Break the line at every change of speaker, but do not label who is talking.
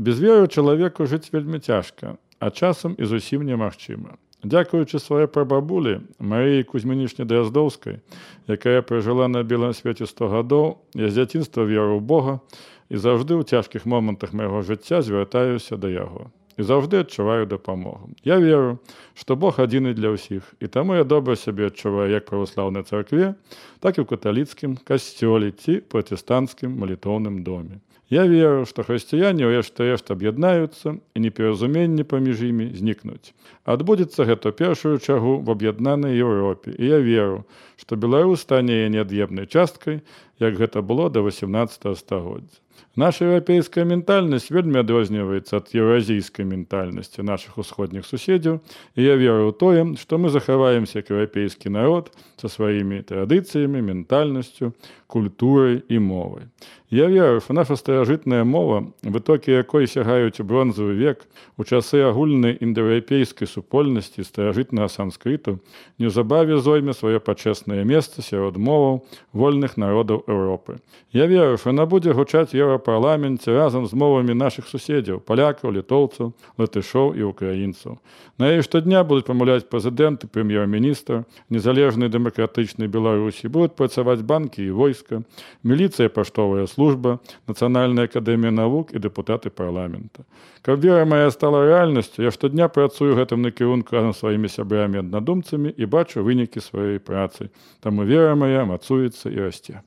Без веры чалавеку жыць вельмі цяжка, а часам і зусім немагчыма. Дзякуючы сваёй прабабулі Марыі Кузьмінічне Драздоўскай, якая пражыла на белым свеце 100 гадоў, я з дзяцінства веру ў Бога і заўжды ў цяжкіх момантах майго жыцця звяртаюся да яго. І заўжды адчуваю дапамогу. Я веру, што Бог адзіны для ўсіх, і таму я добра сябе адчуваю як праваслаўнай царкве, так і ў каталіцкім касцёле ці пратэстанцкім малітоўным доме. Я веру, што хрысціяне ўрэшт-рэшт аб'яднаюцца і непаразуменні паміж імі знікнуць. Адбудзецца гэта ў першую чаргу в аб'яднанай Еўропе, і я веру, што Беларусь стане яе неад'емнай часткай, як гэта было да 18 стагоддзя. Наша еўрапейская ментальнасць вельмі адрозніваецца ад еўразійскай ментальнасці нашых усходніх суседзяў, і я веру ў тое, што мы захаваемся як еўрапейскі народ са сваімі традыцыямі, ментальнасцю, культурай і мовай. Я веру, што наша старажытная мова, вытокі якой сягаюць у бронзавы век, у часы агульнай індаеўрапейскай супольнасці старажытнага санскрыту, неўзабаве зойме сваё пачэснае месца сярод моваў вольных народаў Еўропы. Я веру, што яна будзе гучаць у Еўрапарламенце разам з мовамі нашых суседзяў, палякаў, літоўцаў, латышоў і украінцаў. На яе штодня будуць памаўляць прэзідэнт і прэм'ер-міністр незалежнай дэмакратычнай Беларусі, будуць працаваць банкі і войска, міліцыя, паштовая служба, Нацыянальная акадэмія навук і дэпутаты парламента. Каб вера мая стала рэальнасцю, я штодня працую гэтым накірунку разам з сваімі сябрамі-аднадумцамі і бачу вынікі сваёй працы. Таму вера мая мацуецца і расце.